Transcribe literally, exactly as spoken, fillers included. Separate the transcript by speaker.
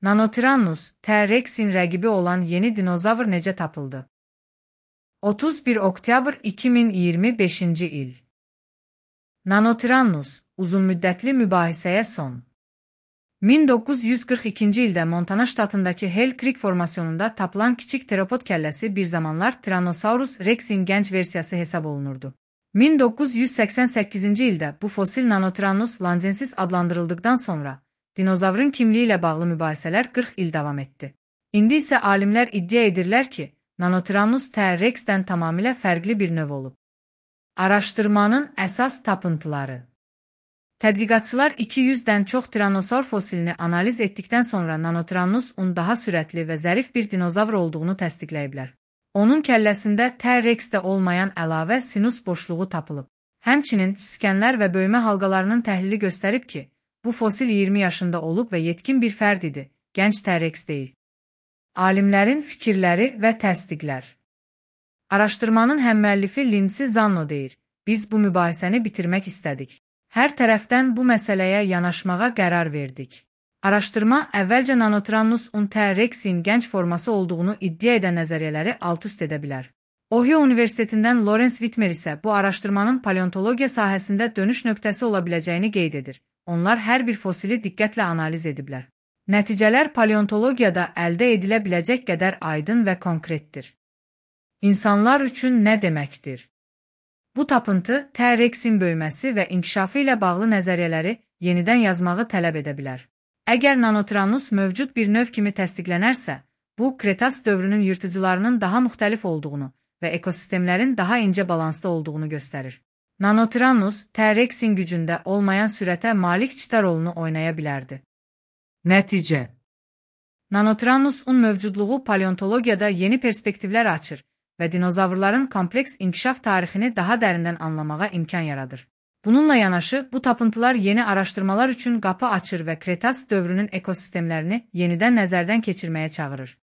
Speaker 1: Nanotyrannus, T-Rex'in rəqibi olan yeni dinozavr necə tapıldı? otuz bir oktyabr iki min iyirmi beşinci il. Nanotyrannus, uzunmüddətli mübahisəyə son. min doqquz yüz qırx ikinci ildə Montana ştatındakı Hell Creek formasyonunda tapılan kiçik teropod kəlləsi bir zamanlar Tyrannosaurus Rex'in gənc versiyası hesab olunurdu. min doqquz yüz səksən səkkizinci ildə bu fosil Nanotyrannus lancensis adlandırıldıqdan sonra dinozavrın kimliyi ilə bağlı mübahisələr qırx il davam etdi. İndi isə alimlər iddia edirlər ki, Nanotyrannus T-Rex'dən tamamilə fərqli bir növ olub. Araşdırmanın əsas tapıntıları. Tədqiqatçılar iki yüzdən çox Tyrannosaur fosilini analiz etdikdən sonra Nanotyrannus-un daha sürətli və zərif bir dinozavr olduğunu təsdiqləyiblər. Onun kəlləsində T-Rex'də olmayan əlavə sinus boşluğu tapılıb. Həmçinin skənlər və böyümə halqalarının təhlili göstərib ki, bu fosil iyirmi yaşında olub və yetkin bir fərd idi, gənc T-Rex deyil. Alimlərin fikirləri və təsdiqlər. Araşdırmanın həmmüəllifi Lindsey Zanno deyir, biz bu mübahisəni bitirmək istədik. Hər tərəfdən bu məsələyə yanaşmağa qərar verdik. Araşdırma əvvəlcə Nanotyrannus-un T-Rex'in gənc forması olduğunu iddia edən nəzəriyyələri alt-üst edə bilər. Ohio Universitetindən Lawrence Whitmer isə bu araşdırmanın paleontologiya sahəsində dönüş nöqtəsi ola biləcəyini qeyd edir. Onlar hər bir fosili diqqətlə analiz ediblər. Nəticələr paleontologiyada əldə edilə biləcək qədər aydın və konkretdir. İnsanlar üçün nə deməkdir? Bu tapıntı T-Rex'in böyüməsi və inkişafı ilə bağlı nəzəriyyələri yenidən yazmağı tələb edə bilər. Əgər Nanotyrannus mövcud bir növ kimi təsdiqlənərsə, bu Kretas dövrünün yırtıcılarının daha müxtəlif olduğunu və ekosistemlərin daha incə balansda olduğunu göstərir. Nanotyrannus T-Rex'in gücündə olmayan sürətə malik çita rolunu oynaya bilərdi. Nəticə. Nanotyrannus-un mövcudluğu paleontologiyada yeni perspektivlər açır və dinozavrların kompleks inkişaf tarixini daha dərindən anlamağa imkan yaradır. Bununla yanaşı, bu tapıntılar yeni araşdırmalar üçün qapı açır və Kretas dövrünün ekosistemlərini yenidən nəzərdən keçirməyə çağırır.